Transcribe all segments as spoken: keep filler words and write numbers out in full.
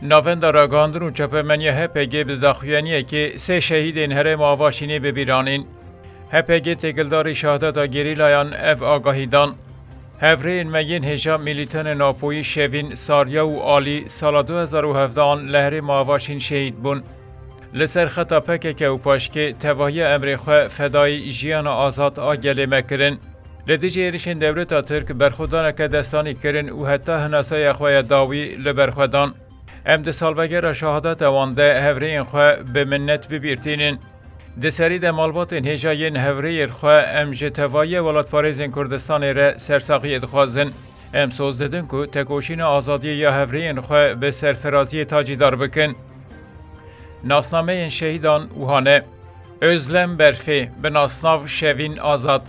Navenda Ragihandin û Çapemeniya H P G bi daxuyaniyekê sê şehîdên herêma Avaşînê bi bîr anîn. H P G têkildarî şehadeta gerîlayan ev agahî dan. Hevrêyên me yên hêja milîtanên Apoyî Şevîn, Sarya û Alî sala du hezar û hevdehan li herêma Avaşîn şehîd bûn. Li ser xeta P K K û paşkê tevahiya emrê xwe fedayî jiyana azad a gelê me kirin. Li dijî êrişên dewleta Tirk berxwedaneke destanî kirin û heta hinasaya xwe ya dawî li ber xwe dan. Em di salvegera şehadeta wan de hevrêyên xwe bi minnet bi bîr tînin. Di serî de malbatên hêja yên hevrêyên xwe em ji tevahiya welatparêzên Kurdistanê re sersaxiyê dixwazin. Em soz didin ku tekoşîna azadiyê ya hevrêyên xwe bi serfiraziyê tacîdar bikin. Nasnameyên şehîdan wiha ne. Özlem Berfê, bi nasnav Şevîn Azad.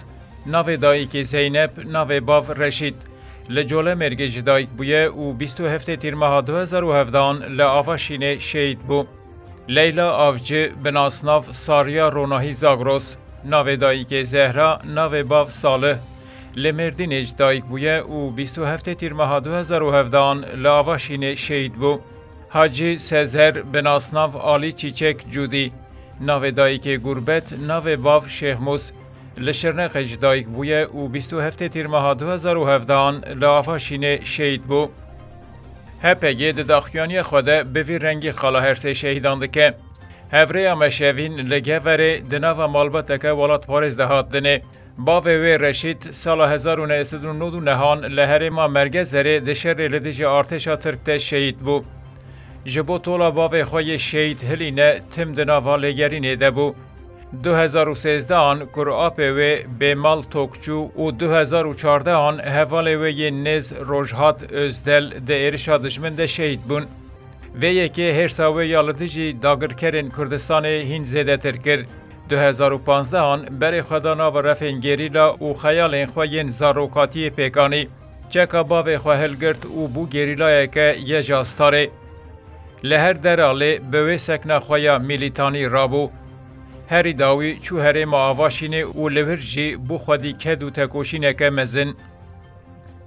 Navê dayikê Zeynep, navê bav Reşîd. Li Colemêrgê ji dayik bûye û bîst û heftê Tîrmeha du hezar û hevdehan li Avaşînê şehîd bû. Leyla Avcı, bi nasnav Sarya Ronahî Zagros. Navê dayikê Zehra, navê bav Salih. Li Mêrdînê ji dayik bûye û bîst û heftê Tîrmeha du hezar û hevdehan li Avaşînê şehîd bû. Hacî Sezer, bi nasnav Alî Çîçek Cûdî. Navê dayikê Gurbet, navê bav Şêxmûs. Li Şirnexê ji dayik bûye û bîst û heftê Tîrmeha du hezar û hevdehan li Avaşînê şehîd bû. H P G di daxuyaniya xwe de bi vî rengî qala her sê şehîdan dike. Hevrêya me Şevîn li Geverê di nava malbateke welatparêz de hat dinê. Bavê wê Reşîd sala hezar û neh sed û nod û nehan li herêma Mergezerê di şerê li dijî artêşa Tirk de şehîd bû. Ji bo tola bavê xwe yê şehîd hilîne, tim di nava lêgerînê de bû. Du hezar û sêzdehan kur apê wê Bêmal Tokçû û du hezar û çardehan hevalê wê yên nêz Rojhat Özdel di êrişa dijmin de şehîd bûn. Vê yekê hêrsa wê ya li dijî dagirkerên Kurdistanê hîn zêdetir kir. Du hezar û panzdehan berê xwe da nava refên gerîla û xeyalên xwe yên zarokatiyê pêk anî. Çeka bavê xwe hilgirt û bû gerîlayeke yê ji astarê. Li her deralê bi wê sekna xwe ya milîtanî rabû. Herî dawî çû herêma Avaşînê û li wir jî bû xwedî ked û tekoşîneke mezin.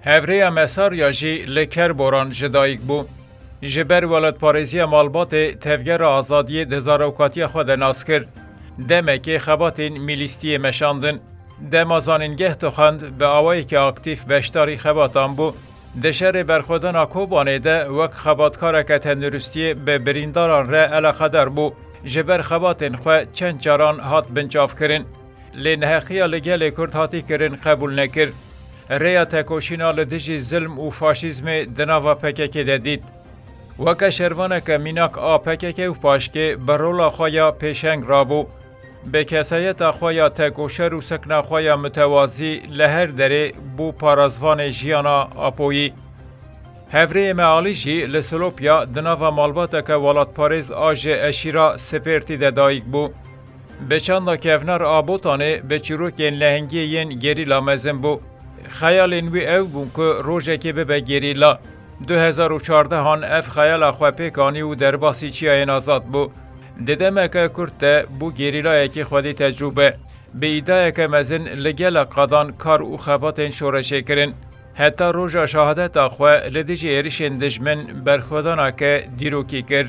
Hevrêya me Sarya jî li Kerboran ji dayik bû. Ji ber welatparêziya malbatê Tevgera Azadiyê di zarokatiya xwe de nas kir. Demekê xebatên mîlîstiyê meşandin. Dema zanîngeh dixwend, bi awayekî aktîf beşdarî xebatan bû. Di şerê berxwedana Kobanê de wek xebatkareke tenduristiyê bi birîndaran re eleqedar bû. Ji ber xebatên xwe çend caran hat binçavkirin. Lê neheqiya li gelê Kurd hatî kirin qebûl nekir. Rêya tekoşîna li dijî zilm û faşîzmê di nava P K K de dît. Weke şervaneke mînak a P K K û paşkê bi rola xwe ya pêşeng rabû. Bi kesayeta xwe ya tekoşer û sekna xwe ya mutewazî li her derê bû parazvanê jiyana Apoyî. Hevrêyê me Alî jî li Silopya di nava malbateke welatparêz a ji eşîra Sipêrtî de dayik bû. Bi çanda kevnar a Botanê bi çîrokên lehengiyê yên gerîla mezin bû. Xeyalên wî ew bûn ku rojekê bibe gerîla. Du hezar û çardehan ev xeyala xwe pêk anî û derbasî Çiyayên Azad bû. Di demeke kurt de bû gerîlayekî xwedî tecrûbe. Bi îdayeke mezin li gelek qadan kar û xebatên şoreşê kirin. Heta roja şehadeta xwe li dijî êrişên dijmin berxwedaneke dîrokî kir.